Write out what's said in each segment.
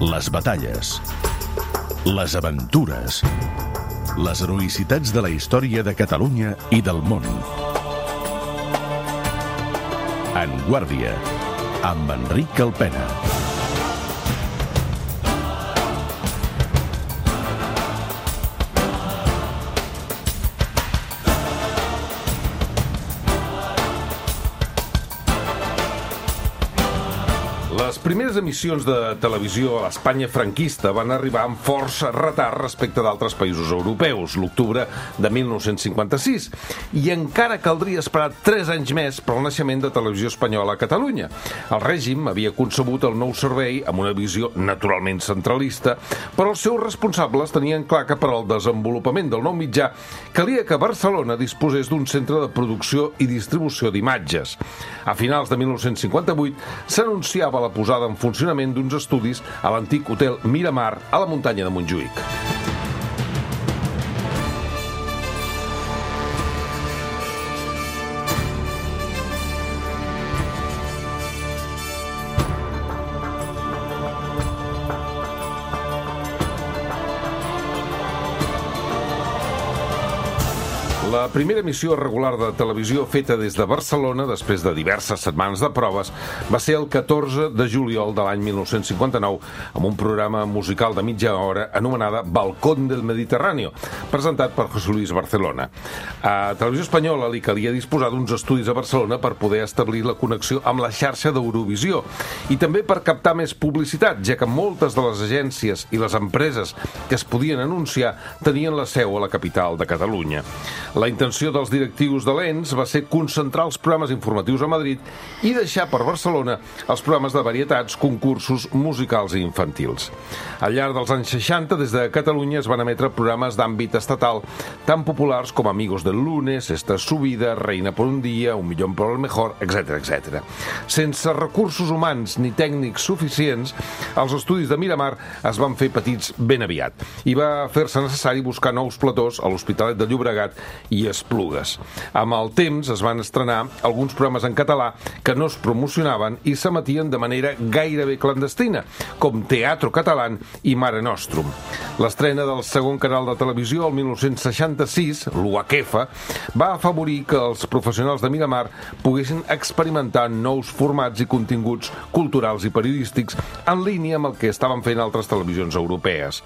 Les batalles, les aventures, les heroïcitats de la història de Catalunya i del món. En Guàrdia, amb Enric Calpena. Les primeres emissions de televisió a l'Espanya franquista van arribar amb força retard respecte d'altres països europeus, l'octubre de 1956, i encara caldria esperar 3 anys més per al naixement de Televisió Espanyola a Catalunya. El règim havia concebut el nou servei amb una visió naturalment centralista, però els seus responsables tenien clar que per al desenvolupament del nou mitjà calia que Barcelona disposés d'un centre de producció i distribució d'imatges. A finals de 1958 s'anunciava la posada en funcionament d'uns estudis a l'antic hotel Miramar a la muntanya de Montjuïc. La primera emissió regular de televisió feta des de Barcelona, després de diverses setmanes de proves, va ser el 14 de juliol de l'any 1959, amb un programa musical de mitja hora anomenada Balcón del Mediterráneo, presentat per José Luis Barcelona. A Televisió Espanyola li calia disposar d'uns estudis a Barcelona per poder establir la connexió amb la xarxa d'Eurovisió i també per captar més publicitat, ja que moltes de les agències i les empreses que es podien anunciar tenien la seu a la capital de Catalunya. La intenció dels directius de l'ENS va ser concentrar els programes informatius a Madrid i deixar per Barcelona els programes de varietats, concursos musicals i infantils. Al llarg dels anys 60, des de Catalunya es van emetre programes d'àmbit estatal tan populars com Amigos del Lunes, Esta es su vida, Reina por un día, Un millón por el mejor, etc, etc. Sense recursos humans ni tècnics suficients, els estudis de Miramar es van fer petits ben aviat i va fer-se necessari buscar nous platós a l'Hospitalet de Llobregat i Esplugues. Amb el temps es van estrenar alguns programes en català que no es promocionaven i s'emetien de manera gairebé clandestina, com Teatro Catalán i Mare Nostrum. L'estrena del segon canal de televisió, el 1966, l'UHF, va afavorir que els professionals de Miramar poguessin experimentar nous formats i continguts culturals i periodístics en línia amb el que estaven fent altres televisions europees.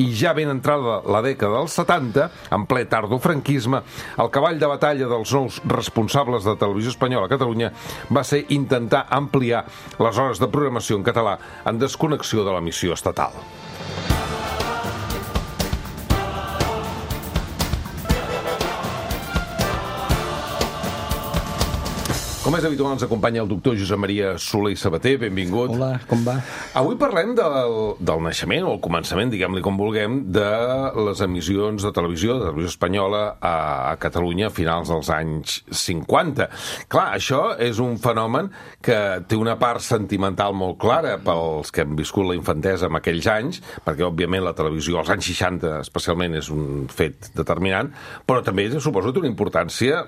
I ja ben entrada la dècada dels 70, en ple tardofranquisme, el cavall de batalla dels nous responsables de Televisió Espanyola a Catalunya va ser intentar ampliar les hores de programació en català en desconnexió de l'emissió estatal. Com és habitual, ens acompanya el doctor Josep Maria Soler i Sabater. Benvingut. Hola, com va? Avui parlem del naixement, o el començament, diguem-li com vulguem, de les emissions de televisió espanyola a Catalunya a finals dels anys 50. Clar, això és un fenomen que té una part sentimental molt clara pels que hem viscut la infantesa en aquells anys, perquè, òbviament, la televisió als anys 60 especialment és un fet determinant, però també suposo que té una importància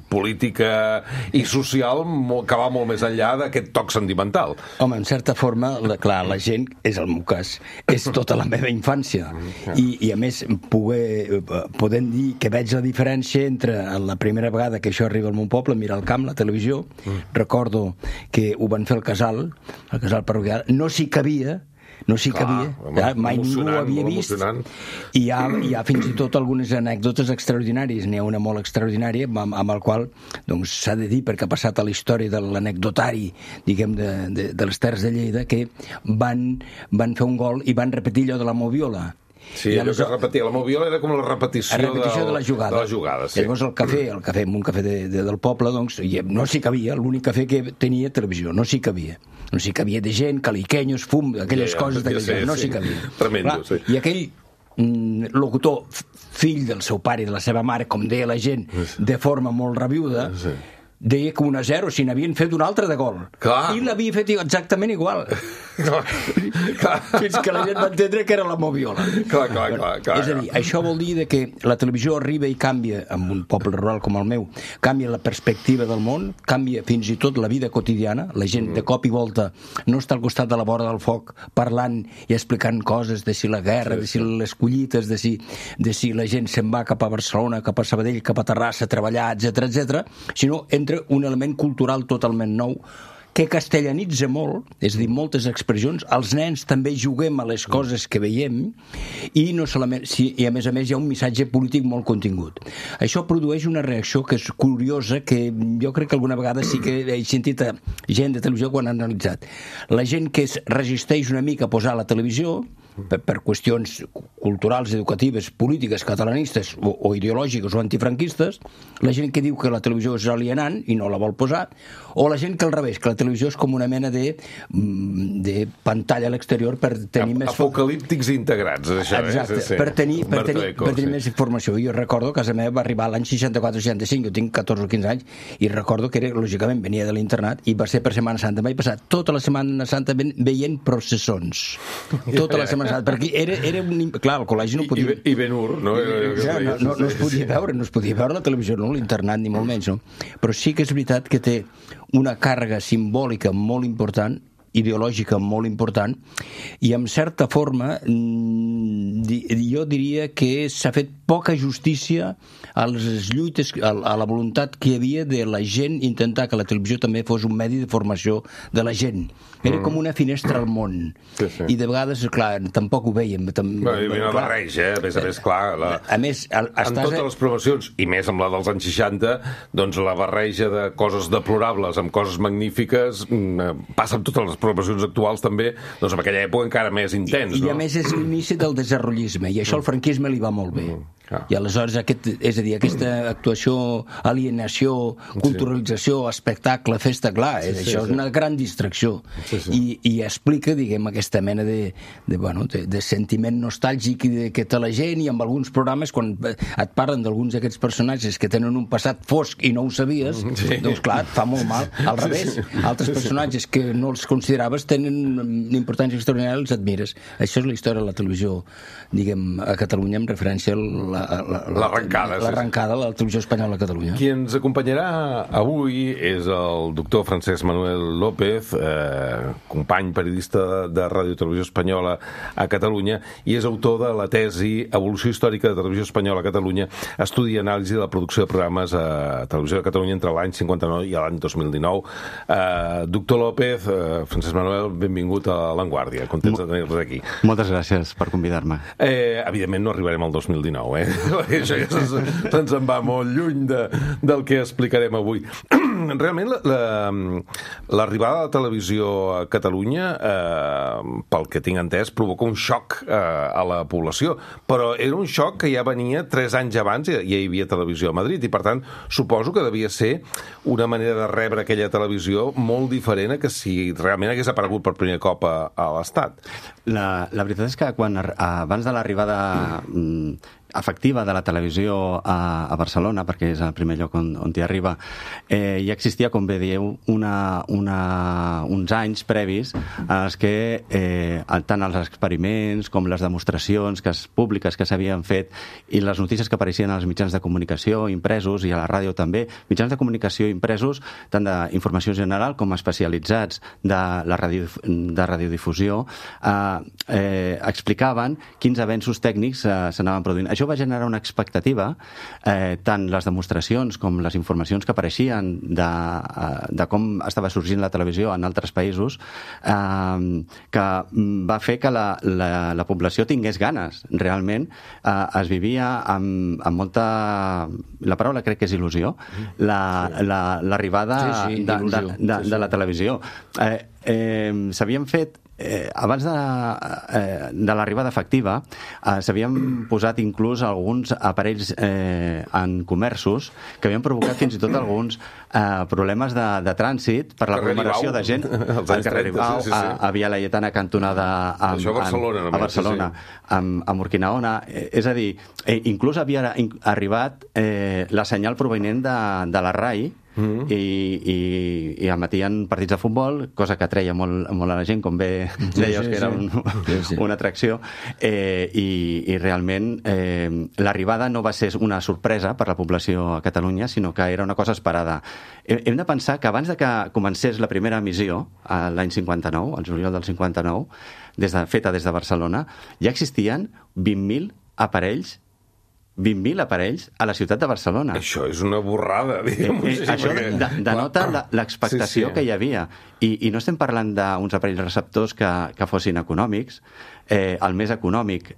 política i social que va molt més enllà d'aquest toc sentimental. Home, en certa forma, clar, la gent, és el meu cas, és tota la meva infància. I a més, podem dir que veig la diferència entre la primera vegada que això arriba al meu poble, mirar al camp, la televisió, recordo que ho van fer al casal parroquial, no s'hi cabia, mai ningú ho havia vist, i hi ha fins i tot algunes anècdotes extraordinàries. N'hi ha una molt extraordinària amb el qual s'ha de dir, perquè ha passat a la història de l'anecdotari, diguem, de les Terres de Lleida, que van fer un gol i van repetir allò de la moviola. Sí, allò que es repetia. La moviola era com la repetició de la jugada. Sí. Llavors el cafè, en un cafè del poble, no s'hi cabia, l'únic cafè que tenia televisió, no s'hi cabia. No s'hi cabia de gent, caliquenyos, fum, aquelles coses d'aquell temps, no s'hi cabia. Tremendo, sí. I aquell locutor, fill del seu pare i de la seva mare, com deia la gent, de forma molt rabiuda, deia que 1-0 si n'havien fet un altre de gol. Clar. I l'havia fet exactament igual. Fins que la gent va entendre que era la Moviola. Clar. És a dir, això vol dir que la televisió arriba i canvia, en un poble rural com el meu, canvia la perspectiva del món, canvia fins i tot la vida quotidiana. La gent de cop i volta no està al costat de la vora del foc parlant i explicant coses de si la guerra, de si les collites, de si la gent se'n va cap a Barcelona, cap a Sabadell, cap a Terrassa a treballar, etc, sinó entra un element cultural totalment nou que castellanitza molt, és a dir, moltes expressions. Els nens també juguem a les coses que veiem i no solament, i a més hi ha un missatge polític molt contingut. Això produeix una reacció que és curiosa, que jo crec que alguna vegada sí que he sentit a gent de televisió quan ha analitzat. La gent que es resisteix una mica a posar la televisió per qüestions culturals, educatives, polítiques, catalanistes o ideològiques o antifranquistes, la gent que diu que la televisió és alienant i no la vol posar, o la gent que al revés, que la televisió és com una mena de pantalla a l'exterior per tenir més... Apocalíptics integrats, això. Exacte, per tenir més informació. Jo recordo que a casa meva va arribar l'any 64-65, jo tinc 14 o 15 anys, i recordo que era, lògicament, venia de l'internat i va ser per Setmana Santa. Vaig passar tota la Setmana Santa veient processons. Tota la Setmana Santa, perquè era un... Clar, al col·legi no podia... I Ben-Hur, no? No es podia veure la televisió, no l'internat, ni molt menys, no? Però sí que és veritat que té una càrrega simbòlica molt important, ideològica molt important, i en certa forma jo diria que s'ha fet poca justícia a les lluites, a la voluntat que hi havia de la gent intentar que la televisió també fos un medi de formació de la gent. Era com una finestra al món. Sí. I de vegades, clar, tampoc ho veiem. Hi havia una barreja, a més, clar. A més, en totes les promocions, i més amb la dels anys 60, doncs la barreja de coses deplorables amb coses magnífiques passa amb totes les promocions actuals també, doncs en aquella època encara més intens. I a més és l'inici del desarrollisme, i això al franquisme li va molt bé. I aleshores, és a dir, aquesta actuació, alienació, culturalització, espectacle, festa, clar, això és una gran distracció. I explica, diguem, aquesta mena de sentiment nostàlgic que té la gent, i amb alguns programes, quan et parlen d'alguns d'aquests personatges que tenen un passat fosc i no ho sabies, doncs clar, et fa molt mal. Al revés, altres personatges que no els consideraves tenen una importància extraordinària, els admires. Això és la història de la televisió, diguem, a Catalunya, en referència a l'arrencada de la televisió espanyola a Catalunya. Qui ens acompanyarà avui és el doctor Francesc Manuel López, company periodista de Ràdio Televisió Espanyola a Catalunya, i és autor de la tesi Evolució històrica de Televisió Espanyola a Catalunya, estudi i anàlisi de la producció de programes a Televisió de Catalunya entre l'any 59 i l'any 2019. Doctor López, Francesc Manuel, benvingut a L'Enguàrdia. Contents de tenir-vos aquí. Moltes gràcies per convidar-me. Evidentment no arribarem al 2019, això ja se'ns en va molt lluny del que explicarem avui. Realment, l'arribada de la televisió a Catalunya, pel que tinc entès, provoca un xoc a la població, però era un xoc que ja venia 3 anys abans, ja hi havia televisió a Madrid, i per tant suposo que devia ser una manera de rebre aquella televisió molt diferent a que si realment hagués aparegut per primer cop a l'Estat. La veritat és que abans de l'arribada efectiva de la televisió a Barcelona, perquè és el primer lloc on t'hi arriba, ja existia, com bé dieu, uns anys previs en els que tant els experiments com les demostracions públiques que s'havien fet i les notícies que apareixien als mitjans de comunicació impresos i a la ràdio també, mitjans de comunicació impresos tant d'informació general com especialitzats de radiodifusió, explicaven quins avenços tècnics s'anaven produint. Això va generar una expectativa, tant les demostracions com les informacions que apareixien de com estava sorgint la televisió en altres països, que va fer que la població tingués ganes. Realment es vivia amb molta... La paraula crec que és il·lusió, l'arribada de la televisió. S'havien fet abans de l'arribada efectiva s'havien posat inclús alguns aparells en comerços que havien provocat fins i tot alguns problemes de trànsit per l'aglomeració de gent al carrer Ibau, a Via Laietana cantonada a Barcelona, a Urquinaona. És a dir, inclús havia arribat la senyal provenent de la RAI i al matí hi ha partits de futbol, cosa que atreia molt a la gent, com bé deies que era una atracció, i realment l'arribada no va ser una sorpresa per la població a Catalunya, sinó que era una cosa esperada. Hem de pensar que abans de que comencés la primera emissió, l'any 59, al juliol del 59, feta des de Barcelona, ja existien 20.000 aparells a la ciutat de Barcelona. Això és una borrada, això denota l'expectació que hi havia. I no estem parlant d'uns aparells receptors que fossin econòmics. El més econòmic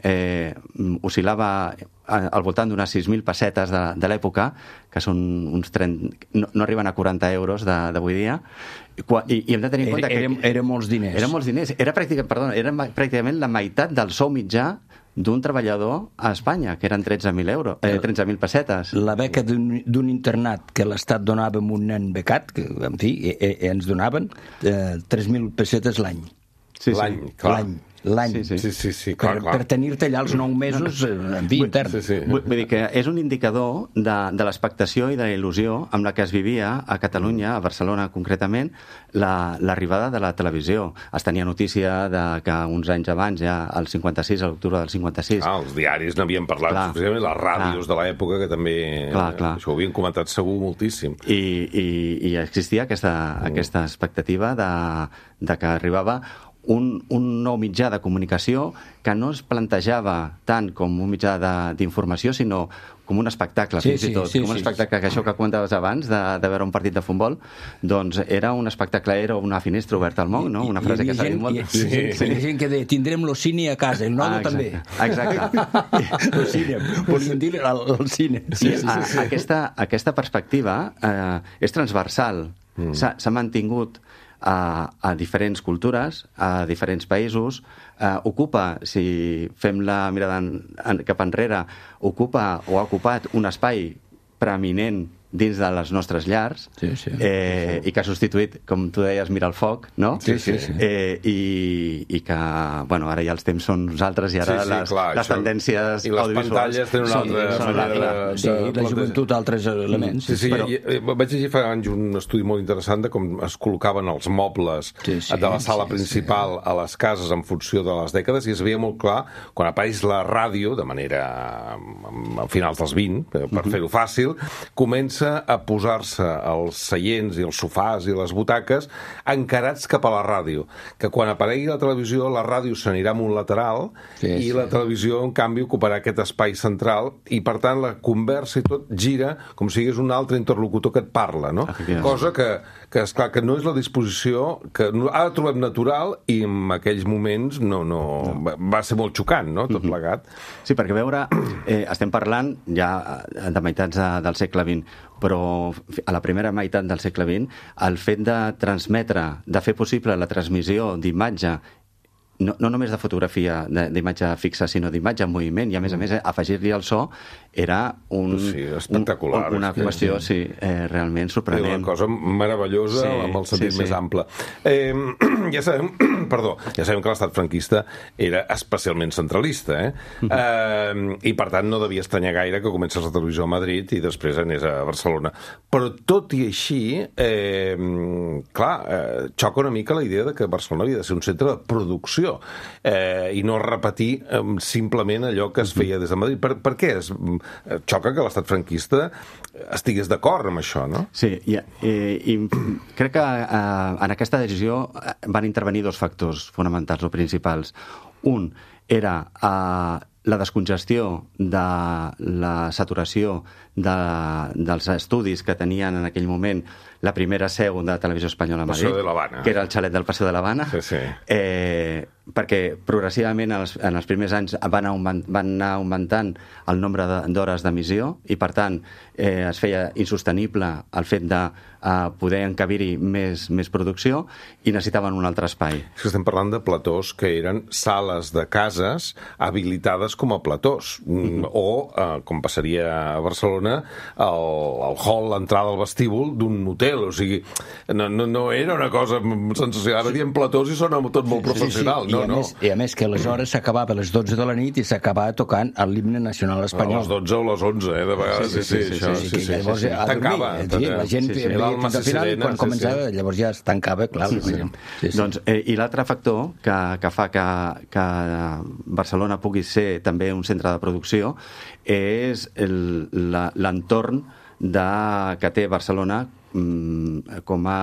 oscil·lava al voltant d'unes 6.000 pessetes de l'època, que són uns 30... no arriben a 40 euros d'avui dia. I hem de tenir en compte que... Eren molts diners. Eren molts diners. Era pràcticament la meitat del sou mitjà d'un treballador a Espanya, que eren 13.000 pessetes. La beca d'un internat que l'Estat donava a un nen becat, que, en fi, ens donaven 3.000 pessetes l'any. L'any, clar. L'any. Sí, clar. Per tenir-te allà els 9 mesos en fi, intern. Vull dir que és un indicador de l'expectació i de la il·lusió amb la que es vivia a Catalunya, a Barcelona concretament, l'arribada de la televisió. Es tenia notícia que uns anys abans, ja al 56, a l'octubre del 56... Els diaris n'havien parlat, especialment les ràdios de l'època, que també això ho havien comentat segur moltíssim. I existia aquesta expectativa de que arribava un nou mitjà de comunicació que no es plantejava tant com un mitjà d'informació, sinó com un espectacle, fins i tot. Com un espectacle, que això que comentaves abans, de veure un partit de futbol, doncs era un espectacle, era una finestra oberta al món, no? Una frase que s'ha dit molt. Hi ha gent que deia, tindrem lo cine a casa, el nodo també. Exacte. Lo cine, volien dir el cine. Aquesta perspectiva és transversal. S'ha mantingut a diferents cultures, a diferents països, ocupa, si fem la mirada cap enrere, ocupa o ha ocupat un espai preeminent dins de les nostres llars, i que ha substituït, com tu deies, Mira el foc, no? I que, bueno, ara ja els temps són uns altres i ara les tendències audiovisuals... I les pantalles tenen una altra manera de... la joventut, altres elements. Vaig llegir fa anys un estudi molt interessant de com es col·locaven els mobles de la sala principal a les cases en funció de les dècades, i es veia molt clar, quan apareix la ràdio, de manera a finals dels 20, per fer-ho fàcil, comença a posar-se els seients i els sofàs i les butaques encarats cap a la ràdio, que quan aparegui la televisió, la ràdio s'anirà a un lateral i la televisió, en canvi, ocuparà aquest espai central, i per tant la conversa i tot gira com si hi hagués un altre interlocutor que et parla, no? Cosa que esclar, que no és la disposició que ara trobem natural, i en aquells moments va ser molt xocant, no?, tot plegat. Sí, perquè veure, estem parlant ja de meitats del segle XX, però a la primera meitat del segle XX el fet de transmetre, de fer possible la transmissió d'imatge, no només de fotografia, d'imatge fixa, sinó d'imatge en moviment, i a més afegir-li el so, era espectacular, una qüestió realment sorprenent. Una cosa meravellosa, amb el sentit més ample. Ja sabem que l'estat franquista era especialment centralista, i per tant no devia estranyar gaire que comencés la televisió a Madrid i després anés a Barcelona. Però tot i així, xoca una mica la idea de que Barcelona havia de ser un centre de producció, i no repetir simplement allò que es feia des de Madrid. Per què xoca que l'estat franquista estigués d'acord amb això, no? Sí, i crec que en aquesta decisió van intervenir dos factors fonamentals o principals. Un era la descongestió de la saturació dels estudis que tenien en aquell moment la primera seu de Televisió Espanyola a Madrid, que era el xalet del Paseo de l'Havana, perquè progressivament en els primers anys van anar augmentant el nombre d'hores d'emissió, i per tant es feia insostenible el fet de poder encabir-hi més producció, i necessitaven un altre espai. És que estem parlant de platós que eren sales de cases habilitades com a platós, o, com passaria a Barcelona, Barcelona al hall, l'entrada al vestíbul d'un hotel, o sigui, no era una cosa sensacional. Ara diem platós i sona tot molt professional. I a més que aleshores s'acabava a les 12 de la nit i s'acabava tocant l'himne nacional espanyol. A les 12 o les 11, de vegades. Sí. Llavors tancava. La gent veia fins al final i quan començava, llavors ja es tancava, clar. Doncs, i l'altre factor que fa que Barcelona pugui ser també un centre de producció és l'entorn que té Barcelona com a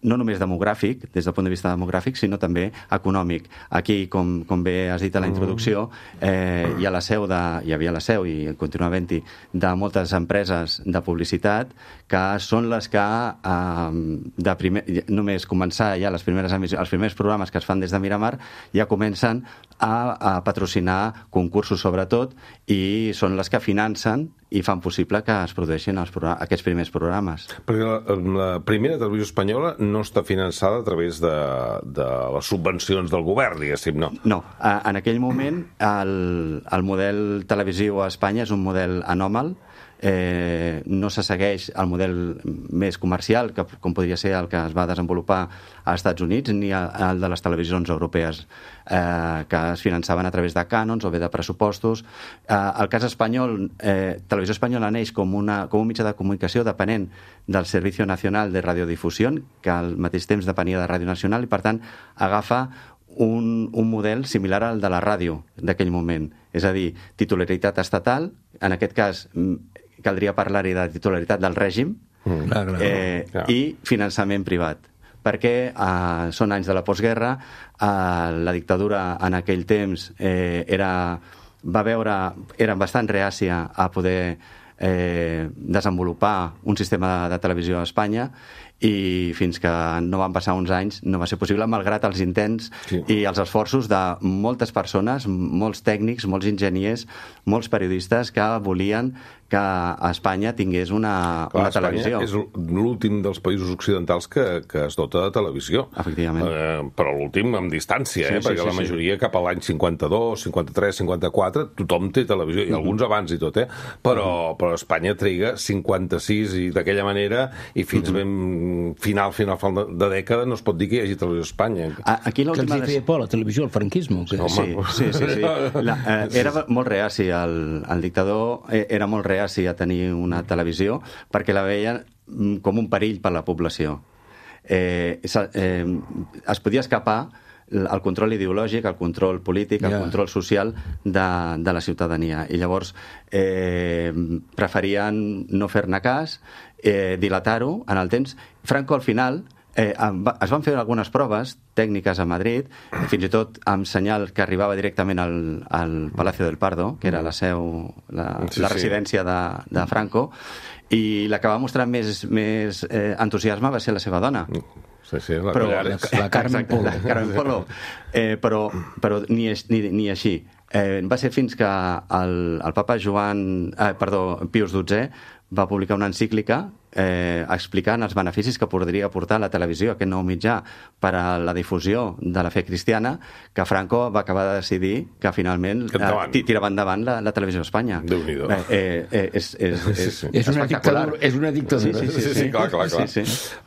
no només demogràfic, des del punt de vista demogràfic, sinó també econòmic. Aquí, com bé has dit a la introducció, hi havia la seu i continua havent-hi de moltes empreses de publicitat que són les que només començar ja els primers programes que es fan des de Miramar ja comencen a patrocinar concursos sobretot i són les que financen i fan possible que es produeixin aquests primers programes. Perquè la primera televisió espanyola no està finançada a través de les subvencions del govern, diguéssim, no? No. En aquell moment el model televisiu a Espanya és un model anòmal, no se segueix el model més comercial, com podria ser el que es va desenvolupar als Estats Units, ni el de les televisions europees que es finançaven a través de cànons o bé de pressupostos. El cas espanyol, Televisió Espanyola neix com un mitjà de comunicació depenent del Servicio Nacional de Radiodifusión, que al mateix temps depenia de Ràdio Nacional, i per tant agafa un model similar al de la ràdio d'aquell moment. És a dir, titularitat estatal, en aquest cas caldria parlar-hi de titularitat del règim, i finançament privat, perquè són anys de la postguerra, la dictadura en aquell temps era bastant reàcia a poder desenvolupar un sistema de televisió a Espanya, i fins que no van passar uns anys no va ser possible, malgrat els intents i els esforços de moltes persones, molts tècnics, molts enginyers, molts periodistes que volien que Espanya tingués una televisió. Espanya és l'últim dels països occidentals que es dota de televisió. Efectivament. Però l'últim amb distància, perquè la majoria cap a l'any 52, 53, 54, tothom té televisió, i alguns abans i tot, però Espanya triga 56 i d'aquella manera, i fins ben final de dècada no es pot dir que hi hagi televisió a Espanya. Que els hi feia por la televisió, el franquisme? Sí. Era molt reaci, el dictador era molt reaci a tenir una televisió perquè la veien com un perill per a la població. Es podia escapar el control ideològic, el control polític, el control social de la ciutadania. I llavors preferien no fer-ne cas, dilatar-ho en el temps. Franco, al final, es van fer algunes proves tècniques a Madrid, fins i tot amb senyal que arribava directament al Palacio del Pardo, que era la seu, la residència de Franco, i la que va mostrar més entusiasme va ser la seva dona. La Carmen Polo. Però ni així. Va ser fins que el papa Pius XII va publicar una encíclica explicant els beneficis que podria aportar la televisió, aquest nou mitjà, per a la difusió de la fe cristiana, que Franco va acabar de decidir que finalment tirava endavant la televisió a Espanya. Déu-n'hi-do. És una dictadura. Sí, clar.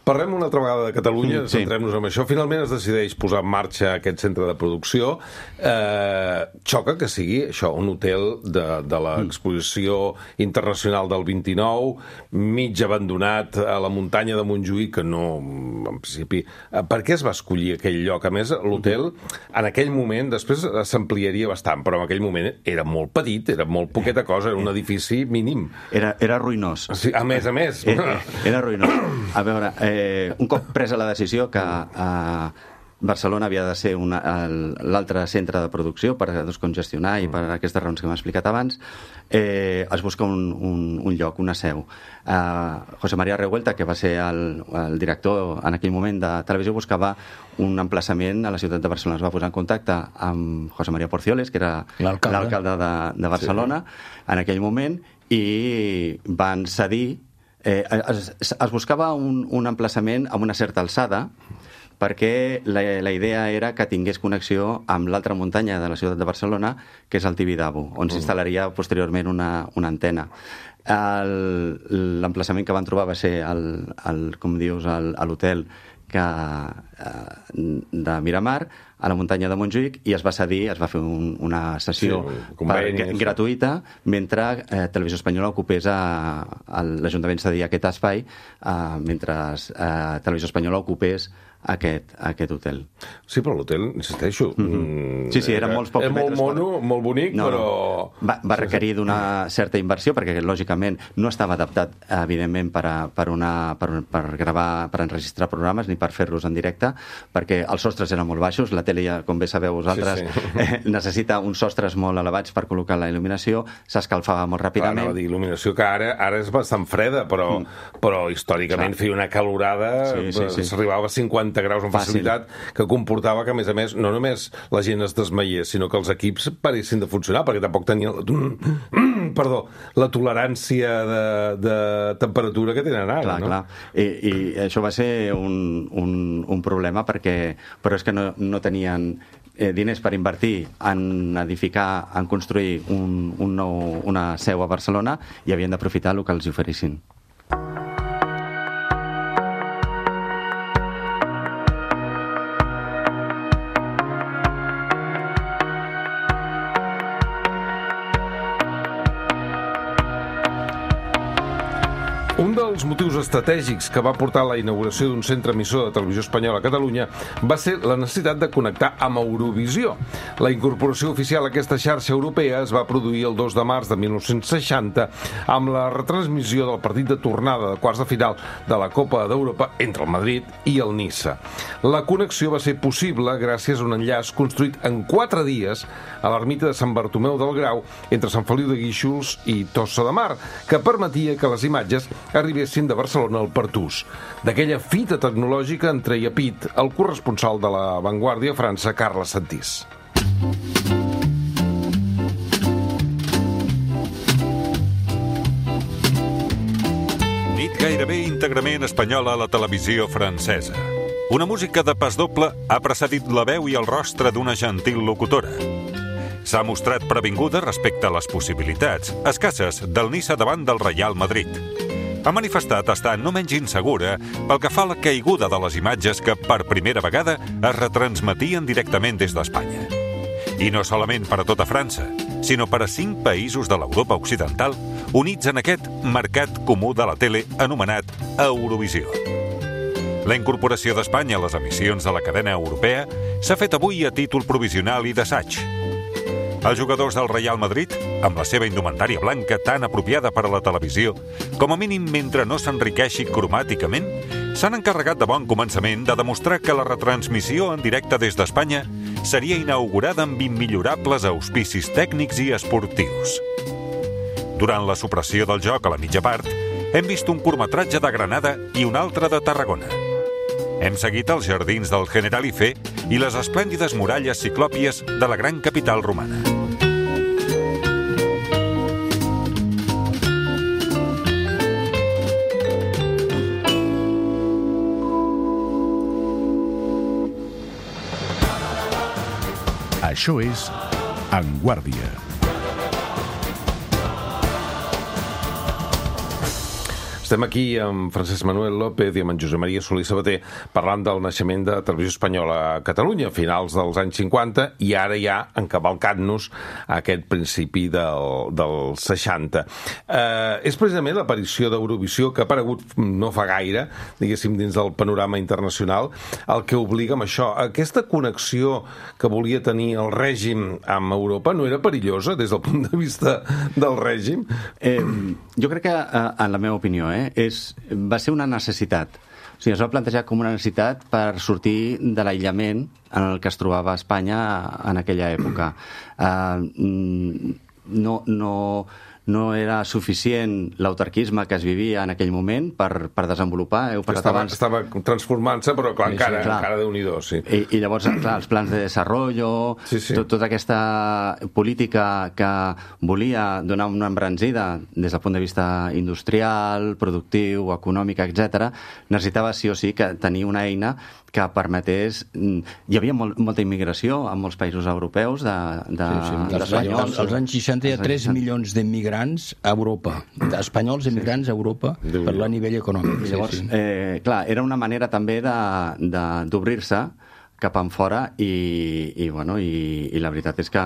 Parlem una altra vegada de Catalunya, centrem-nos en això. Finalment es decideix posar en marxa aquest centre de producció. Xoca que sigui això, un hotel de l'exposició internacional del 29, mig abandonat a la muntanya de Montjuïc, que no, en principi... Per què es va escollir aquell lloc? A més, l'hotel, en aquell moment, després s'ampliaria bastant, però en aquell moment era molt petit, era molt poqueta cosa, era un edifici mínim. Era ruïnós. Sí, a més. Era ruïnós. A veure, un cop presa la decisió que Barcelona havia de ser l'altre centre de producció per descongestionar i per aquestes raons que m'he explicat abans, es busca un lloc, una seu. José María Revuelta, que va ser el director en aquell moment de televisió, buscava un emplaçament a la ciutat de Barcelona. Es va posar en contacte amb José María Porcioles, que era l'alcalde de Barcelona en aquell moment, i van cedir. Es buscava un emplaçament amb una certa alçada, perquè la idea era que tingués connexió amb l'altra muntanya de la ciutat de Barcelona, que és el Tibidabo, on s'instal·laria posteriorment una antena. L'emplaçament que van trobar va ser com dius, a l'hotel de Miramar, a la muntanya de Montjuïc, i es va cedir, es va fer una sessió gratuïta, mentre Televisió Espanyola ocupés, l'Ajuntament cedia aquest espai, mentre Televisió Espanyola ocupés aquest hotel. Sí, però l'hotel, insisteixo... Sí, era molts pocs metres. És molt mono, molt bonic, però... Va requerir d'una certa inversió, perquè, lògicament, no estava adaptat, evidentment, per gravar, per enregistrar programes, ni per fer-los en directe, perquè els sostres eren molt baixos. La tele, com bé sabeu vosaltres, necessita uns sostres molt elevats per col·locar la il·luminació, s'escalfava molt ràpidament. Anava a dir, il·luminació que ara és bastant freda, però històricament feia una calorada, s'arribava a 50 graus amb facilitat, que comportava que, a més, no només la gent es desmaiés, sinó que els equips paressin de funcionar, perquè tampoc tenien la tolerància de temperatura que tenen ara. Clar. I això va ser un problema, però és que no tenien diners per invertir en edificar, en construir una seu a Barcelona, i havien d'aprofitar el que els oferissin. Un dels motius estratègics que va portar a la inauguració d'un centre emissor de Televisió Espanyola a Catalunya va ser la necessitat de connectar amb Eurovisió. La incorporació oficial a aquesta xarxa europea es va produir el 2 de març de 1960 amb la retransmissió del partit de tornada de quarts de final de la Copa d'Europa entre el Madrid i el Niça. La connexió va ser possible gràcies a un enllaç construït en 4 dies a l'ermita de Sant Bartomeu del Grau entre Sant Feliu de Guíxols i Tossa de Mar, que permetia que les imatges arribessin de Barcelona al Pertús. D'aquella fita tecnològica en treia pit el corresponsal de La Vanguardia a França, Carles Santís. Nit gairebé íntegrament espanyola a la televisió francesa. Una música de pas doble ha precedit la veu i el rostre d'una gentil locutora. S'ha mostrat previnguda respecte a les possibilitats escasses del Niça davant del Real Madrid. Ha manifestat estar no menys insegura pel que fa a la caiguda de les imatges que per primera vegada es retransmetien directament des d'Espanya. I no solament per a tota França, sinó per a 5 països de l'Europa occidental units en aquest mercat comú de la tele anomenat Eurovisió. La incorporació d'Espanya a les emissions de la cadena europea s'ha fet avui a títol provisional i d'assaig. Els jugadors del Real Madrid, amb la seva indumentària blanca tan apropiada per a la televisió, com a mínim mentre no s'enriqueixi cromàticament, s'han encarregat de bon començament de demostrar que la retransmissió en directe des d'Espanya seria inaugurada amb immillorables auspicis tècnics i esportius. Durant la supressió del joc a la mitja part, hem vist un curtmetratge de Granada i un altre de Tarragona. Hem seguit els jardins del Generalife i les esplèndides muralles ciclòpies de la gran capital romana. Això és En Guàrdia. Estem aquí amb Francesc Manuel López i amb en Josep Maria Solí Sabater parlant del naixement de Televisió Espanyola a Catalunya a finals dels anys 50 i ara ja encavalcant-nos a aquest principi del 60. És precisament l'aparició d'Eurovisió, que ha aparegut no fa gaire, diguéssim, dins del panorama internacional, el que obliga amb això. Aquesta connexió que volia tenir el règim amb Europa no era perillosa des del punt de vista del règim? Jo crec que, en la meva opinió, va ser una necessitat. O sigui, es va plantejar com una necessitat per sortir de l'aïllament en el que es trobava Espanya en aquella època. no era suficient l'autarquisme que es vivia en aquell moment per desenvolupar. Estava transformant-se, però clar, encara Déu-n'hi-do, sí. I llavors, clar, els plans de desarrollo, tota aquesta política que volia donar una embranzida des del punt de vista industrial, productiu, econòmic, etc., necessitava sí o sí que tenir una eina que permetés... Hi havia molta immigració en molts països europeus d'espanyols. Als anys 60 hi ha 3 milions d'immigrants a Europa, d'espanyols immigrants a Europa, per a nivell econòmic. Llavors, clar, era una manera també d'obrir-se cap enfora i la veritat és que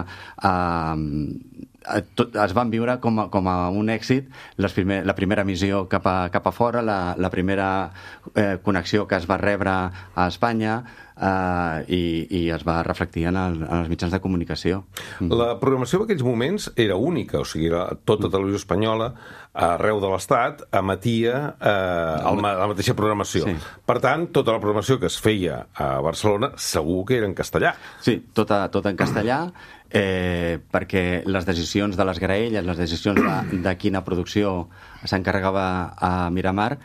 es van viure com a un èxit la primera missió cap a fora, la primera connexió que es va rebre a Espanya i es va reflectir en els mitjans de comunicació. La programació en aquells moments era única, o sigui, tota televisió espanyola arreu de l'Estat emetia la mateixa programació. Sí. Per tant, tota la programació que es feia a Barcelona segur que era en castellà. Sí, tota en castellà, perquè les decisions de les graelles, les decisions de quina producció s'encarregava a Miramar,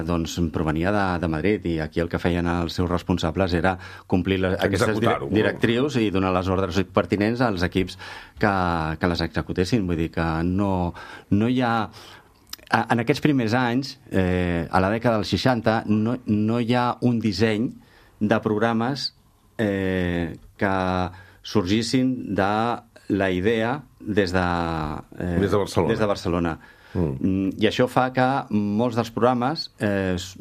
doncs provenia de Madrid, i aquí el que feien els seus responsables era complir aquestes directrius i donar les ordres pertinents als equips que les executessin. Vull dir que no hi ha... En aquests primers anys, a la dècada dels 60, no hi ha un disseny de programes que sorgissin de la idea des de Barcelona. I això fa que molts dels programes es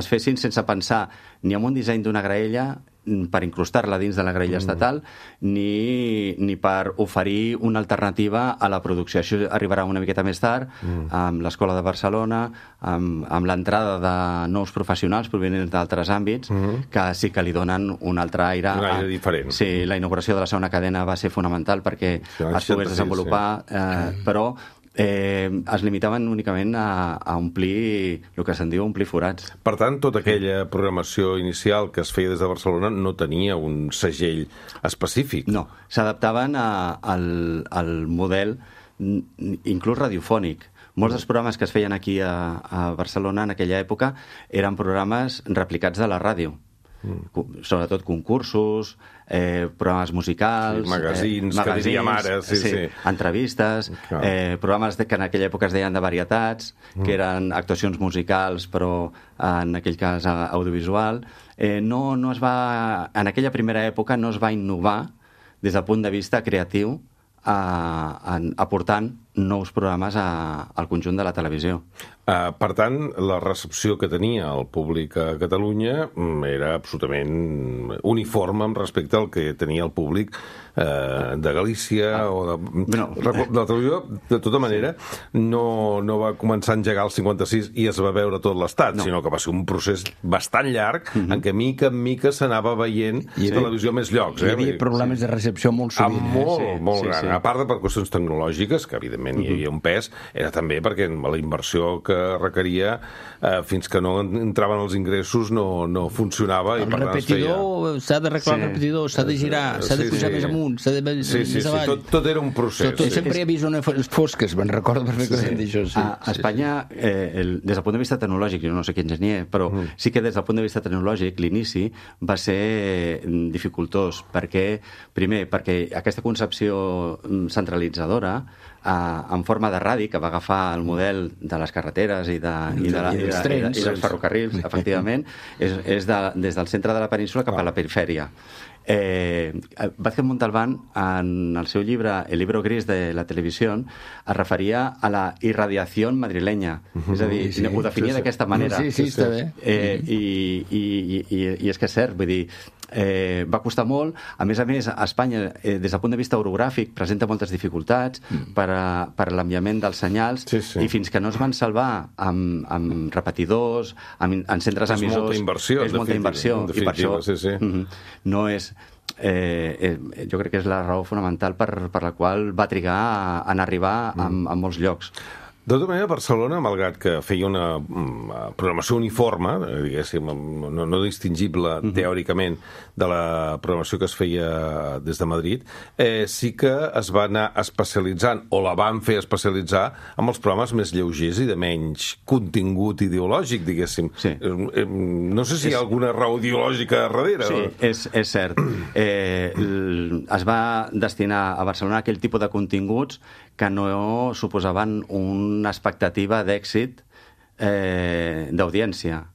fessin sense pensar ni en un disseny d'una graella per incrustar-la dins de la graella estatal ni per oferir una alternativa a la producció. Això arribarà una miqueta més tard amb l'Escola de Barcelona, amb l'entrada de nous professionals provenents d'altres àmbits que sí que li donen un altre aire. Un aire diferent. Sí, la inauguració de la segona cadena va ser fonamental perquè es pogués desenvolupar, però es limitaven únicament a omplir el que se'n diu omplir forats. Per tant, tota aquella programació inicial que es feia des de Barcelona no tenia un segell específic. No, s'adaptaven al model inclús radiofònic. Molts dels programes que es feien aquí a Barcelona en aquella època eren programes replicats de la ràdio. Sobretot concursos, programes musicals, magazins, que diríem ara, entrevistes, programes que en aquella època es deien de varietats, que eren actuacions musicals, però en aquell cas audiovisual. No es va, en aquella primera època no es va innovar des del punt de vista creatiu aportant nous programes al conjunt de la televisió. Per tant, la recepció que tenia el públic a Catalunya era absolutament uniforme respecte al que tenia el públic de Galícia o de la televisió. De tota manera, no va començar a engegar el 56 i es va veure tot l'Estat, sinó que va ser un procés bastant llarg en què mica en mica s'anava veient televisió a més llocs. Hi havia problemes de recepció molt sovint. Molt gran. A part de per qüestions tecnològiques, que evidentment hi havia un pes, era també perquè la inversió que requeria fins que no entraven els ingressos no funcionava. El repetidor, s'ha d'arreglar el repetidor, s'ha de girar, s'ha de pujar més amunt, s'ha de més avall. Tot era un procés. Sempre hi havia zones fosques, me'n recordo perfectament d'això. A Espanya, des del punt de vista tecnològic, jo no sé quin enginyer, però sí que des del punt de vista tecnològic l'inici va ser dificultós, primer perquè aquesta concepció centralitzadora en forma de radi, que va agafar el model de les carreteres i dels ferrocarrils, efectivament, és des del centre de la península cap a la perifèria. Vázquez Montalbán, en el seu llibre El libro gris de la televisió, es referia a la irradiació madrilenya, és a dir, ho definia d'aquesta manera. Sí, està bé. I és que és cert, vull dir, va costar molt. A més, Espanya, des del punt de vista orogràfic, presenta moltes dificultats per a l'enviament dels senyals, i fins que no es van salvar amb repetidors, en centres emissors... És molta inversió, i per això no és... jo crec que és la raó fonamental per la qual va trigar en arribar a molts llocs. De tota manera, Barcelona, malgrat que feia una programació uniforme, diguéssim, no distingible teòricament de la programació que es feia des de Madrid, sí que es va anar especialitzant, o la van fer especialitzar, amb els programes més lleugers i de menys contingut ideològic, diguéssim. Sí. No sé si hi ha alguna raó ideològica darrere. Sí, és cert. Es va destinar a Barcelona aquell tipus de continguts que no suposaven una expectativa d'èxit d'audiència.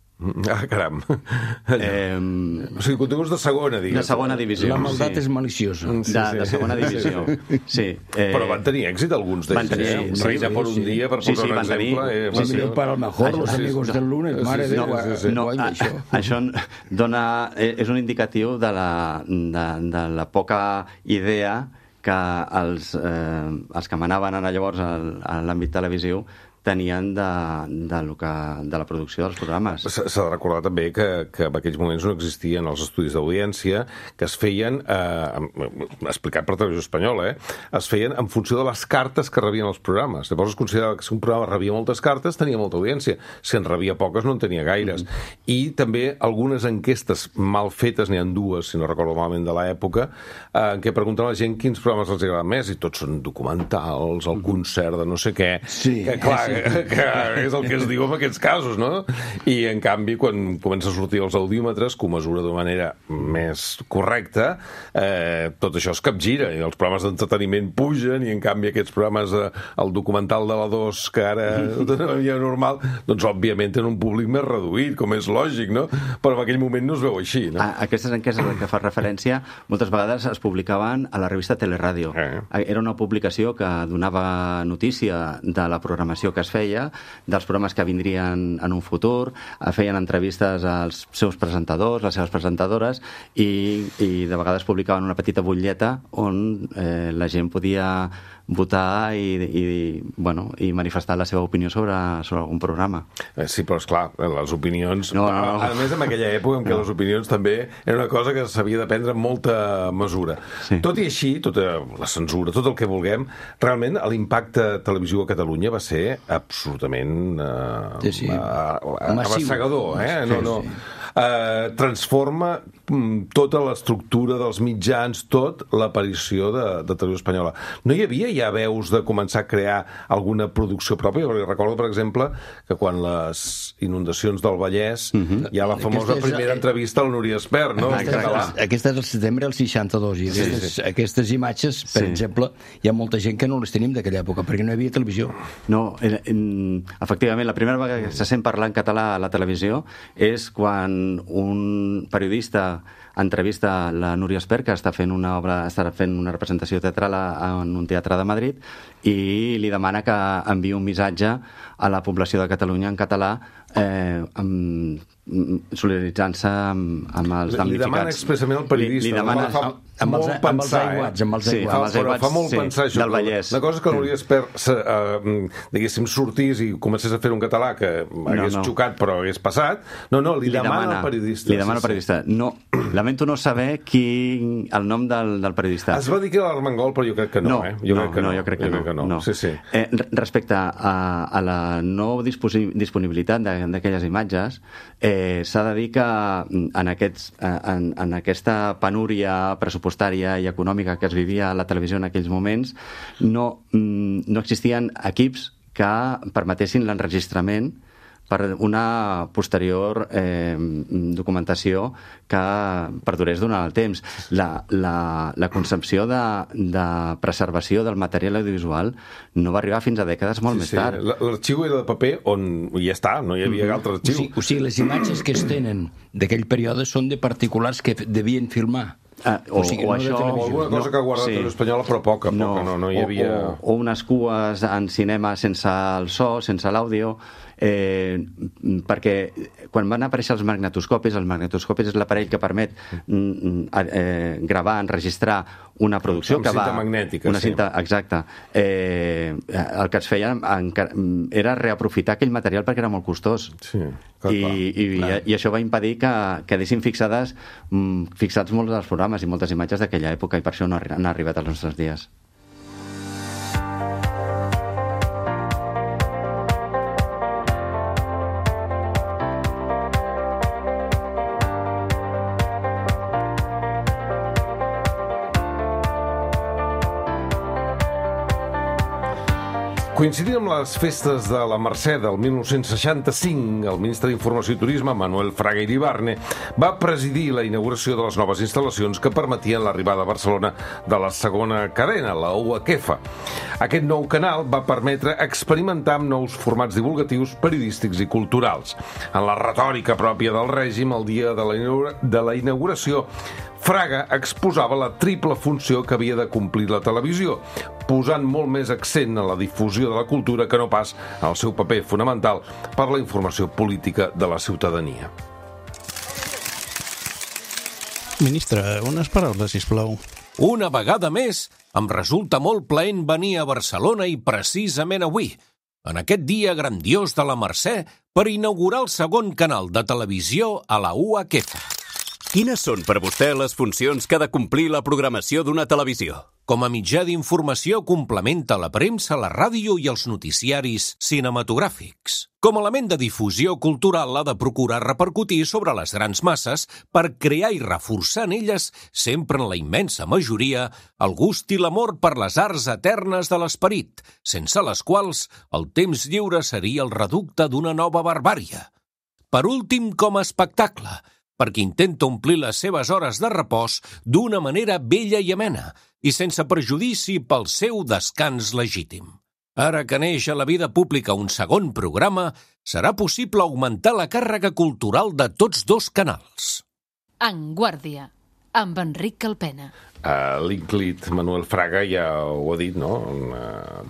Caram. O sigui, continguts de segona, digues. De segona divisió. La maldat és maliciosa. De segona divisió, sí. Però van tenir èxit alguns d'ells. Reina per un dia, per posar un exemple. Sí, para el mejor, los amigos del lunes, mare de Déu. Això dona... És un indicatiu de la poca idea que els que manaven llavors a l'àmbit televisiu tenien de la producció dels programes. S'ha de recordar també que en aquells moments no existien els estudis d'audiència, que es feien, explicat per Televisió Espanyola, es feien en funció de les cartes que rebien els programes. Llavors es considerava que si un programa rebia moltes cartes tenia molta audiència. Si en rebia poques no en tenia gaires. I també algunes enquestes mal fetes, n'hi ha dues, si no recordo malament, de l'època, en què pregunten a la gent quins programes els agraden més, i tots són documentals, el concert de no sé què, que clar, que és el que es diu en aquests casos, no? I en canvi, quan comença a sortir els audímetres, que ho mesura d'una manera més correcta, tot això es capgira, i els programes d'entreteniment pugen, i en canvi aquests programes, el documental de la 2, que ara hi ha normal, doncs òbviament tenen un públic més reduït, com és lògic, no? Però en aquell moment no es veu així, no? Aquestes enquestes a les que fa referència moltes vegades es publicaven a la revista Teleradio. Era una publicació que donava notícia de la programació que es feia, dels programes que vindrien en un futur, feien entrevistes als seus presentadors, les seves presentadores, i de vegades publicaven una petita butlleta on la gent podia votar i manifestar la seva opinió sobre algun programa. Sí, però esclar, les opinions... No. A més, en aquella època en què les opinions també era una cosa que s'havia de prendre amb molta mesura. Sí. Tot i així, tota la censura, tot el que vulguem, realment l'impacte televisiu a Catalunya va ser absolutament abassegador. Transforma tota l'estructura dels mitjans, tot l'aparició de Televisió Espanyola. No hi havia ja veus de començar a crear alguna producció pròpia? Recordo, per exemple, que quan les inundacions del Vallès hi ha la famosa primera entrevista a la Núria Espert, no? Aquesta és el setembre del 62, i aquestes imatges, per exemple, hi ha molta gent que no les tenim d'aquella època, perquè no hi havia televisió. No, efectivament, la primera vegada que se sent parlar en català a la televisió és quan un periodista entrevista la Núria Espert, que estarà fent una representació teatral en un teatre de Madrid, i li demana que enviï un missatge a la població de Catalunya en català, solidaritzant-se amb els damnificats. Li demana expressament al periodista. Li demana amb els aiguats. Fa molt pensar això. Del Vallès. La cosa és que Núria Espert, diguéssim, sortís i comencés a fer un català que hagués xocat però hagués passat. Li demana al periodista. Li demana al periodista. No, lamento no saber el nom del periodista. Es va dir que era l'Armengol, però jo crec que no. Jo crec que no. Sí. Respecte a la no disponibilitat d'aquelles imatges, s'ha de dir que en aquesta penúria pressupostària i econòmica que es vivia a la televisió en aquells moments no existien equips que permetessin l'enregistrament per una posterior documentació que perdurés durant el temps. La concepció de preservació del material audiovisual no va arribar fins a dècades molt més tard. L'arxiu era de paper on ja està, no hi havia altre arxiu. O sigui, les imatges que es tenen d'aquell període són de particulars que devien filmar. O alguna cosa que ha guardat Televisió Espanyola, però poca, no hi havia... O unes cues en cinema sense el so, sense l'àudio, perquè quan van aparèixer els magnetoscopis és l'aparell que permet gravar, enregistrar una producció que va... Cinta magnètica, cinta, exacte. El que es feia era reaprofitar aquell material perquè era molt costós. Sí, i això va impedir que quedessin fixats molts dels programes i moltes imatges d'aquella època, i per això no han arribat als nostres dies. Coincidint amb les festes de la Mercè del 1965, el ministre d'Informació i Turisme, Manuel Fraga Iribarne, va presidir la inauguració de les noves instal·lacions que permetien l'arribada a Barcelona de la segona cadena, la UHF. Aquest nou canal va permetre experimentar amb nous formats divulgatius, periodístics i culturals. En la retòrica pròpia del règim, el dia de la inauguració, Fraga exposava la triple funció que havia de complir la televisió, posant molt més accent en la difusió de la cultura que no pas en el seu paper fonamental per la informació política de la ciutadania. Ministre, unes paraules, sisplau. Una vegada més, em resulta molt plaent venir a Barcelona i precisament avui, en aquest dia grandiós de la Mercè, per inaugurar el segon canal de televisió a la UHF. Quines són per vostè les funcions que ha de complir la programació d'una televisió? Com a mitjà d'informació complementa la premsa, la ràdio i els noticiaris cinematogràfics. Com a element de difusió cultural ha de procurar repercutir sobre les grans masses per crear i reforçar en elles, sempre en la immensa majoria, el gust i l'amor per les arts eternes de l'esperit, sense les quals el temps lliure seria el reducte d'una nova barbària. Per últim, com a espectacle, perquè intenta omplir les seves hores de repòs d'una manera bella i amena i sense perjudici pel seu descans legítim. Ara que neix a la vida pública un segon programa, serà possible augmentar la càrrega cultural de tots dos canals. En Guàrdia, amb Enric Calpena. L'Inclit Manuel Fraga ja ho ha dit, no?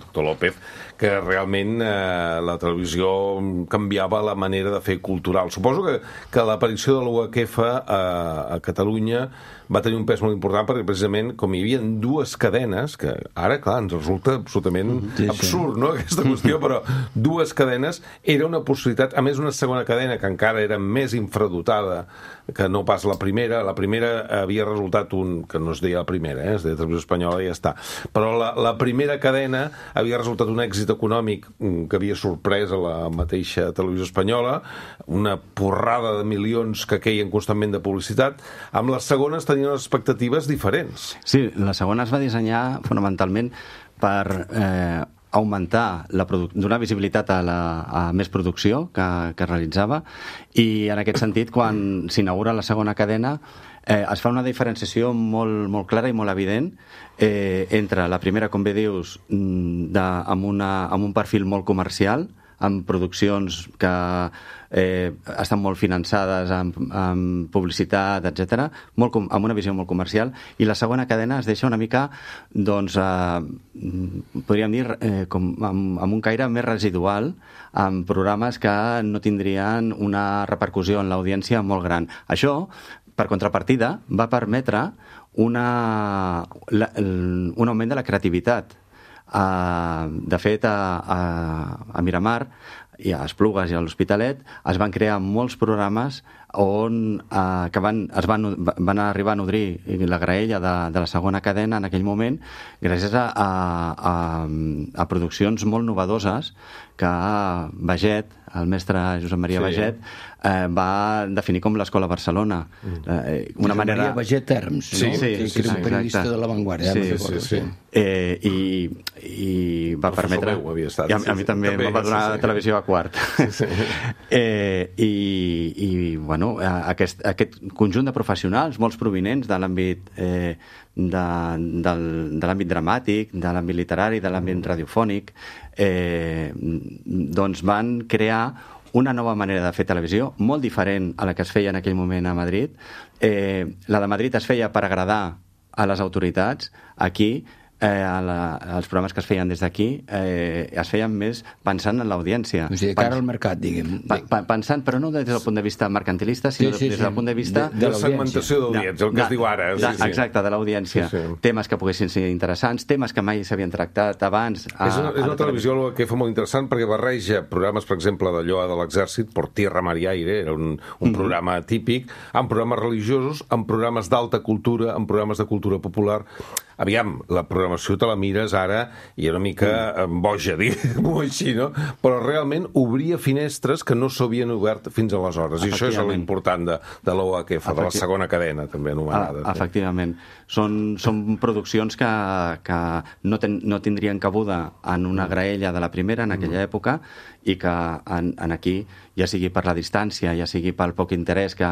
Doctor López, que realment la televisió canviava la manera de fer cultural. Suposo que l'aparició de l'UHF a Catalunya va tenir un pes molt important perquè precisament com hi havia dues cadenes, que ara, clar, ens resulta absolutament absurd, no?, aquesta qüestió, però dues cadenes era una possibilitat, a més una segona cadena que encara era més infradotada que no pas la primera. La primera havia resultat que no es deia la primera, es deia Televisió Espanyola i ja està. Però la primera cadena havia resultat un èxit econòmic que havia sorprès a la mateixa Televisió Espanyola, una porrada de milions que queien constantment de publicitat. Amb les segones tenien unes expectatives diferents. Sí, la segona es va dissenyar fonamentalment per augmentar, donar visibilitat a més producció que realitzava, i en aquest sentit, quan s'inaugura la segona cadena, es fa una diferenciació molt clara i molt evident entre la primera, com bé dius, amb un perfil molt comercial, amb produccions que estan molt finançades amb publicitat, etc., amb una visió molt comercial, i la segona cadena es deixa una mica, doncs, podríem dir, amb un caire més residual, amb programes que no tindrien una repercussió en l'audiència molt gran. Això, per contrapartida, va permetre un augment de la creativitat. De fet, a Miramar i a Esplugues i a l'Hospitalet es van crear molts programes que van arribar a nodrir la graella de la segona cadena en aquell moment, gràcies a produccions molt novedoses que Baget, el mestre Josep Maria Baget, va definir com l'Escola Barcelona. Josep Maria Baget Terms, no? Que era un periodista de l'avantguàrdia. Sí. I va permetre... A mi també em va donar la televisió a quart. I bueno, aquest conjunt de professionals, molts provinents de l'àmbit de l'àmbit dramàtic, de l'àmbit literari, de l'àmbit radiofònic, doncs van crear una nova manera de fer televisió, molt diferent a la que es feia en aquell moment a Madrid. La de Madrid es feia per agradar a les autoritats. Aquí, els programes que es feien des d'aquí es feien més pensant en l'audiència. O sigui, cara al mercat, diguem. Pensant, però no des del punt de vista mercantilista, sinó des del punt de vista... De la segmentació d'audiència, el que es diu ara. Exacte, de l'audiència. Temes que poguessin ser interessants, temes que mai s'havien tractat abans. És una televisió que fa molt interessant perquè barreja programes, per exemple, d'allò de l'Exèrcit, Por Tierra, Mar y Aire, era un programa típic, amb programes religiosos, amb programes d'alta cultura, amb programes de cultura popular. aviam, la programació te la mires ara i una mica boja, diguem-ho així, no? Però realment obria finestres que no s'havien obert fins aleshores, i això és l'important de l'OHF, de la segona cadena, també anomenada. Efectivament. Són produccions que no tindrien cabuda en una graella de la primera, en aquella època, i que aquí, ja sigui per la distància, ja sigui pel poc interès que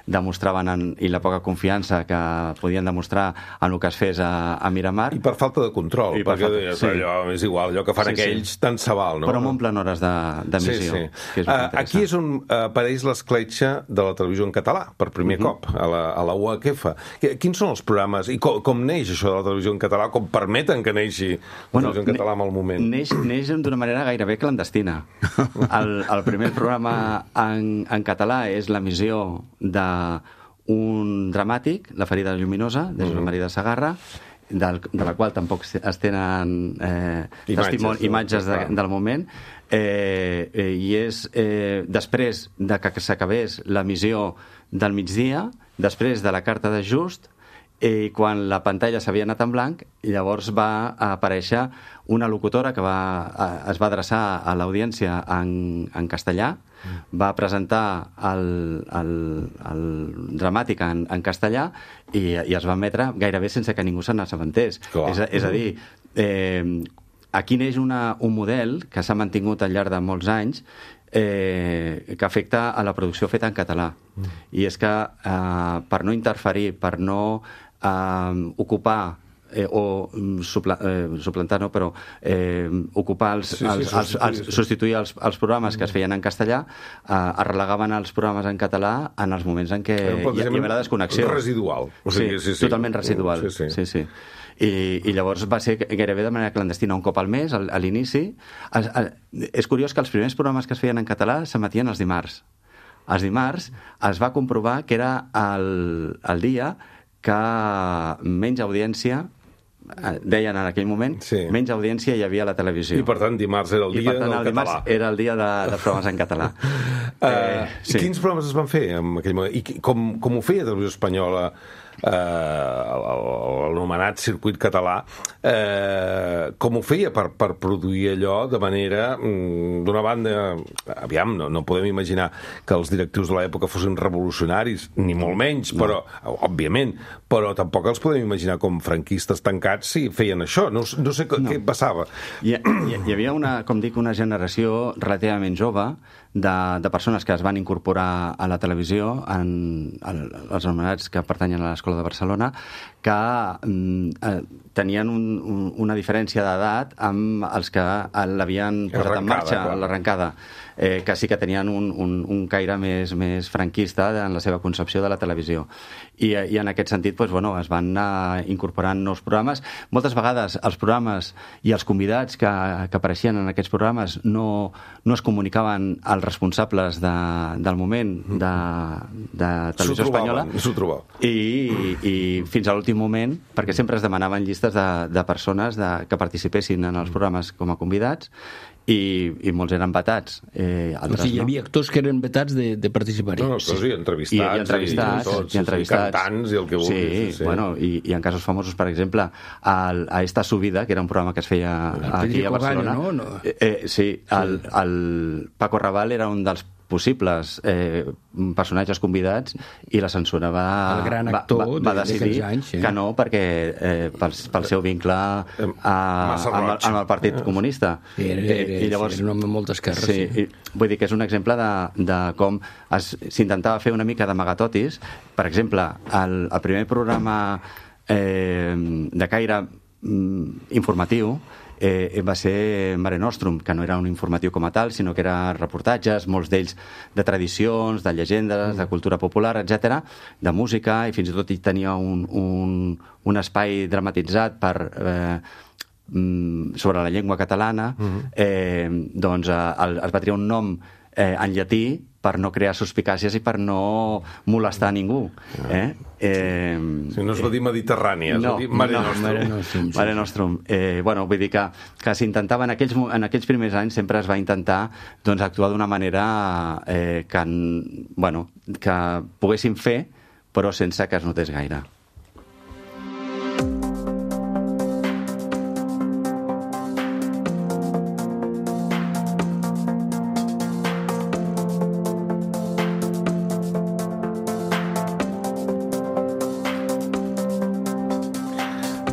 demostraven i la poca confiança que podien demostrar en el que es fes a Miramar. I per falta de control, perquè allò és igual, allò que fan aquells tant se val, no? Però m'omplen hores d'emissió. Aquí és on apareix l'escletxa de la televisió en català, per primer cop, a la UHF. Quins són els programes i com neix això de la televisió en català? Com permeten que neixi la televisió en català en el moment? Neix d'una manera gairebé clandestina. El primer programa en català és l'emissió d'un dramàtic, La ferida lluminosa, de Josep Maria de Segarra, de la qual tampoc es tenen imatges del moment, i és després de que s'acabés l'emissió del migdia, després de la carta d'ajust, i quan la pantalla s'havia anat en blanc, llavors va aparèixer una locutora que es va adreçar a l'audiència en castellà, va presentar el dramàtic en castellà i es va emetre gairebé sense que ningú se n'assabentés. És a dir, aquí neix un model que s'ha mantingut al llarg de molts anys, que afecta a la producció feta en català. I és que per no interferir, per no ocupar o suplantar, no, però ocupar substituir els programes que es feien en castellà, es relegaven els programes en català en els moments en què hi havia la desconnexió. Residual. Sí, totalment residual. Sí. I llavors va ser gairebé de manera clandestina, un cop al mes, a l'inici. És curiós que els primers programes que es feien en català s'emetien els dimarts. Els dimarts es va comprovar que era el dia que menys audiència, deien en aquell moment, menys audiència hi havia a la televisió. I per tant dimarts era el dia del català. Dimarts era el dia de programes en català. Quins programes es van fer en aquell moment? I com ho feia Televisió Espanyola, l'anomenat circuit català, com ho feia per produir allò de manera, d'una banda, aviam, no podem imaginar que els directius de l'època fossin revolucionaris, ni molt menys, però, òbviament, però tampoc els podem imaginar com franquistes tancats si feien això. No sé què passava. Hi havia una generació relativament jove de persones que es van incorporar a la televisió, els anomenats que pertanyen a l'Escola de Barcelona, que tenien una diferència d'edat amb els que l'havien posat en marxa a l'arrencada, que sí que tenien un caire més franquista en la seva concepció de la televisió. I en aquest sentit es van anar incorporant nous programes. Moltes vegades els programes i els convidats que apareixien en aquests programes no es comunicaven als responsables del moment de Televisió Espanyola, i fins a l'últim moment, perquè sempre es demanaven llistes de persones que participessin en els programes com a convidats, i molts eren vetats. O sigui, hi havia actors que eren vetats de participar-hi. No, actors i entrevistats, i cantants, i el que vulguis. Sí, i en casos famosos, per exemple, a Esta Subida, que era un programa que es feia aquí a Barcelona. Sí, el Paco Raval era un dels possibles personatges convidats, i la censura va decidir que no, perquè pel seu vincle amb el Partit Comunista. Era un home amb molta esquerra. Vull dir que és un exemple de com s'intentava fer una mica d'amagatotis. Per exemple, el primer programa de caire informatiu va ser Mare Nostrum, que no era un informatiu com a tal, sinó que era reportatges, molts d'ells de tradicions, de llegendes, de cultura popular, etc., de música, i fins i tot hi tenia un espai dramatitzat sobre la llengua catalana. Doncs es va triar un nom en llatí per no crear suspicàcies i per no molestar a ningú. No es va dir Mediterrània, es va dir Mare Nostrum. Mare Nostrum. Vull dir que s'intentava, en aquells primers anys sempre es va intentar actuar d'una manera que poguessin fer, però sense que es notés gaire.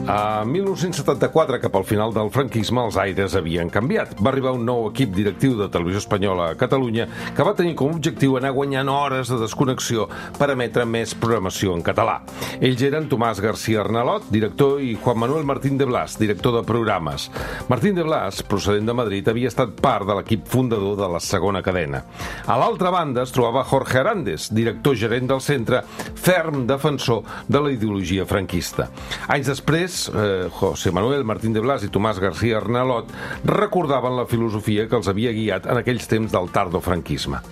A 1974, cap al final del franquisme, els aires havien canviat. Va arribar un nou equip directiu de Televisió Espanyola a Catalunya que va tenir com a objectiu anar guanyant hores de desconnexió per emetre més programació en català. Ells eren Tomàs García Arnalot, director, i Juan Manuel Martín de Blas, director de programes. Martín de Blas, procedent de Madrid, havia estat part de l'equip fundador de la segona cadena. A l'altra banda es trobava Jorge Arandes, director gerent del centre, ferm defensor de la ideologia franquista. Anys després, José Manuel Martín de Blas i Tomàs García Arnalot recordaven la filosofia que els havia guiat en aquells temps del tardofranquisme.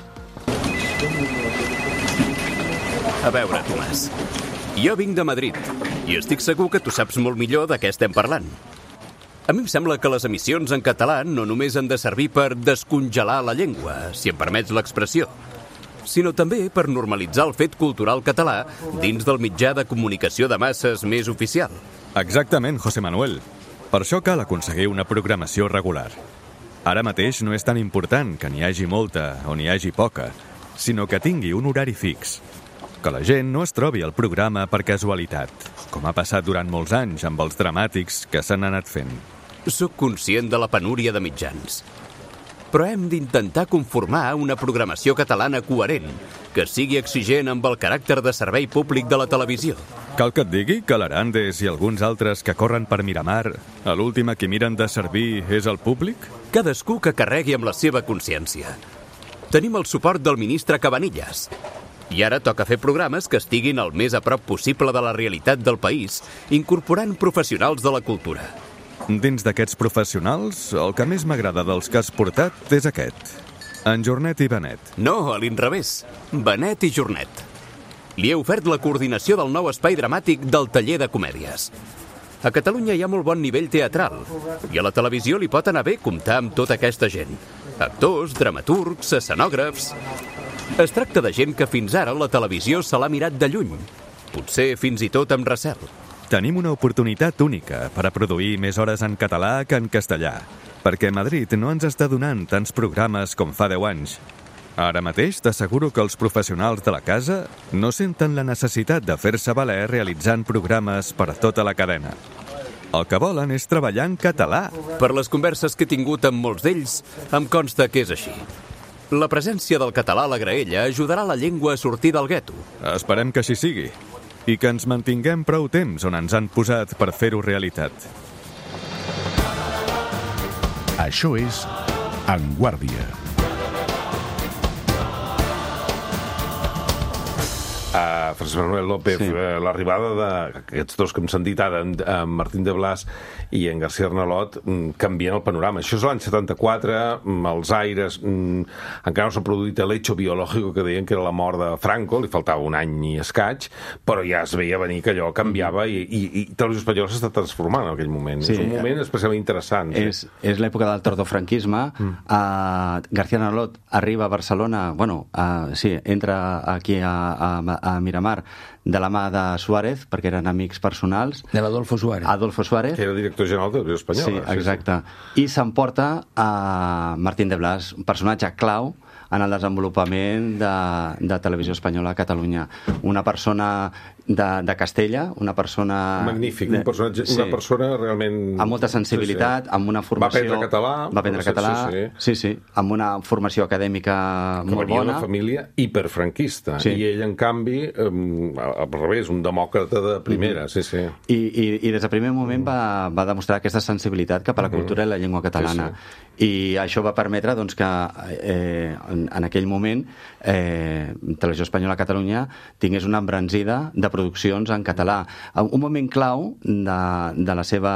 A veure, Tomàs, jo vinc de Madrid i estic segur que tu saps molt millor de què estem parlant. A mi em sembla que les emissions en català no només han de servir per descongelar la llengua, si em permets l'expressió, sinó també per normalitzar el fet cultural català dins del mitjà de comunicació de masses més oficial. Exactament, José Manuel. Per això cal aconseguir una programació regular. Ara mateix no és tan important que n'hi hagi molta o n'hi hagi poca, sinó que tingui un horari fix. Que la gent no es trobi al programa per casualitat, com ha passat durant molts anys amb els dramàtics que s'han anat fent. Soc conscient de la penúria de mitjans, però hem d'intentar conformar una programació catalana coherent, que sigui exigent amb el caràcter de servei públic de la televisió. Cal que et digui que l'Arandes i alguns altres que corren per Miramar, a l'última qui miren de servir és el públic? Cadascú que carregui amb la seva consciència. Tenim el suport del ministre Cabanillas. I ara toca fer programes que estiguin el més a prop possible de la realitat del país, incorporant professionals de la cultura. Dins d'aquests professionals, el que més m'agrada dels que has portat és aquest. En Jornet i Benet. No, a l'inrevés. Benet i Jornet. Li he ofert la coordinació del nou espai dramàtic del taller de comèdies. A Catalunya hi ha molt bon nivell teatral i a la televisió li pot anar bé comptar amb tota aquesta gent. Actors, dramaturgs, escenògrafs... Es tracta de gent que fins ara la televisió se l'ha mirat de lluny, potser fins i tot amb recel. Tenim una oportunitat única per a produir més hores en català que en castellà, perquè Madrid no ens està donant tants programes com fa 10 anys. Ara mateix t'asseguro que els professionals de la casa no senten la necessitat de fer-se valer realitzant programes per tota la cadena. El que volen és treballar en català. Per les converses que he tingut amb molts d'ells, em consta que és així. La presència del català a la graella ajudarà la llengua a sortir del gueto. Esperem que així sigui. I que ens mantinguem prou temps on ens han posat per fer-ho realitat. Això és En Guàrdia. Francesc Manuel López, sí. L'arribada d'aquests dos que hem sentit ara, en Martín de Blas i en García Arnalot, canvien el panorama. Això és l'any 74, els aires, encara no s'ha produït l'hecho biològic que deien que era la mort de Franco, li faltava un any i escaig, però ja es veia venir que allò canviava i Televisió Espanyola s'està transformant en aquell moment. Sí, és un moment especialment interessant. És l'època del tardofranquisme. García Arnalot arriba a Barcelona, entra aquí a Miramar de la mà de Suárez, perquè eren amics personals. De l'Adolfo Suárez. Adolfo Suárez. Que era director general de Televisió Espanyola. Sí, exacte. I s'emporta a Martín de Blas, un personatge clau en el desenvolupament de Televisió Espanyola a Catalunya. Una persona de Castella, una persona... Magnífic, un personatge, una persona realment... Amb molta sensibilitat, amb una formació... Va aprendre català. Sí, amb una formació acadèmica molt bona. Que venia d'una família hiperfranquista. Sí. I ell, en canvi, al revés, un demòcrata de primera. Sí. I des del primer moment va demostrar aquesta sensibilitat cap a la cultura i la llengua catalana. I això va permetre que en aquell moment Televisió Espanyola a Catalunya tingués una embranzida de produccions en català. Un moment clau de la seva...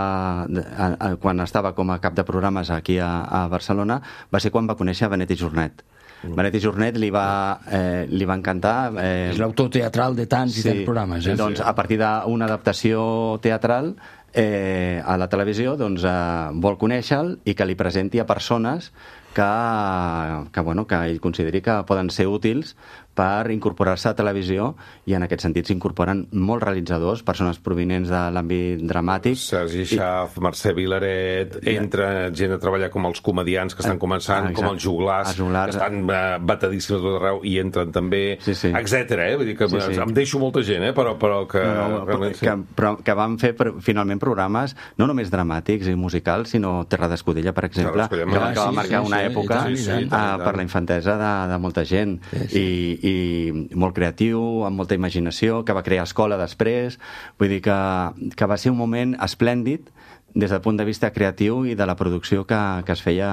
quan estava com a cap de programes aquí a Barcelona va ser quan va conèixer Benet i Jornet. Benet i Jornet li va encantar... És l'autor teatral de tants i tants programes. Doncs a partir d'una adaptació teatral a la televisió vol conèixer-lo i que li presenti a persones que ell consideri que poden ser útils per incorporar-se a televisió, i en aquest sentit s'incorporen molts realitzadors, persones provinents de l'àmbit dramàtic. Sergi Schaaf, Mercè Vilaret, entra gent a treballar com els comedians que estan començant, com els joglars, que estan batadíssims a tot arreu i entren també, etcètera. Vull dir que em deixo molta gent, però que... Però que van fer finalment programes no només dramàtics i musicals, sinó Terra d'Escudella, per exemple, que va marcar una època per la infantesa de molta gent, i molt creatiu, amb molta imaginació, que va crear escola després. Vull dir que va ser un moment esplèndid des del punt de vista creatiu i de la producció que es feia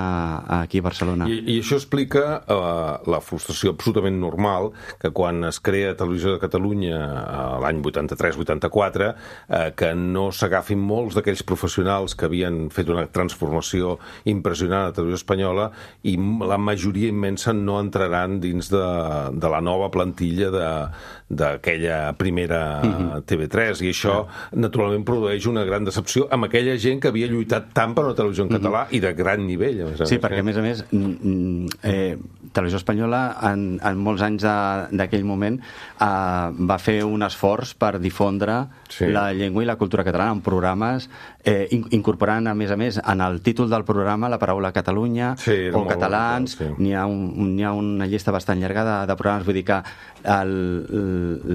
aquí a Barcelona. I això explica la frustració absolutament normal que quan es crea Televisió de Catalunya l'any 83-84 que no s'agafin molts d'aquells professionals que havien fet una transformació impressionant a Televisió Espanyola, i la majoria immensa no entraran dins de la nova plantilla d'aquella primera TV3, i això naturalment produeix una gran decepció amb aquella gent que havia lluitat tant per una televisió en català i de gran nivell. Sí, perquè a més Televisió Espanyola en molts anys d'aquell moment va fer un esforç per difondre la llengua i la cultura catalana en programes, incorporant a més en el títol del programa la paraula Catalunya o catalans. N'hi ha una llista bastant llarga de programes, vull dir que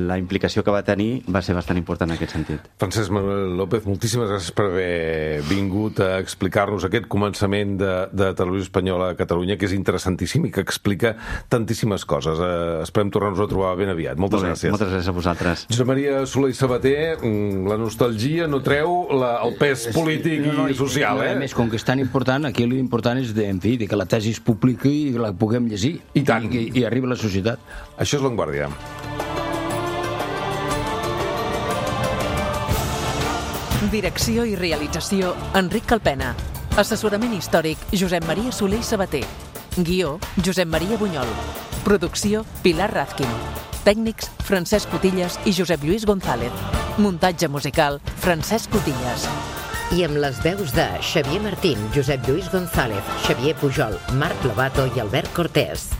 la implicació que va tenir va ser bastant important en aquest sentit. Francesc Manuel López, moltíssimes gràcies per haver vingut a explicar-nos aquest començament de Televisió Espanyola a Catalunya, que és interessantíssim i que explica tantíssimes coses. Esperem tornar-nos a trobar ben aviat. Moltes gràcies. Moltes gràcies a vosaltres. Josep Maria Soler i Sabater, la nostalgia no treu el pes polític i social, A més, com que és tan important, aquí l'important és que la tesi es publiqui i la puguem llegir. I tant. I arribi a la societat. Això és L'Avantguàrdia. Direcció i realització, Enric Calpena. Assessorament històric, Josep Maria Soler i Sabater. Guió, Josep Maria Bunyol. Producció, Pilar Razkin. Tècnics, Francesc Cotillas i Josep Lluís González. Muntatge musical, Francesc Cotillas. I amb les veus de Xavier Martín, Josep Lluís González, Xavier Pujol, Marc Lobato i Albert Cortés.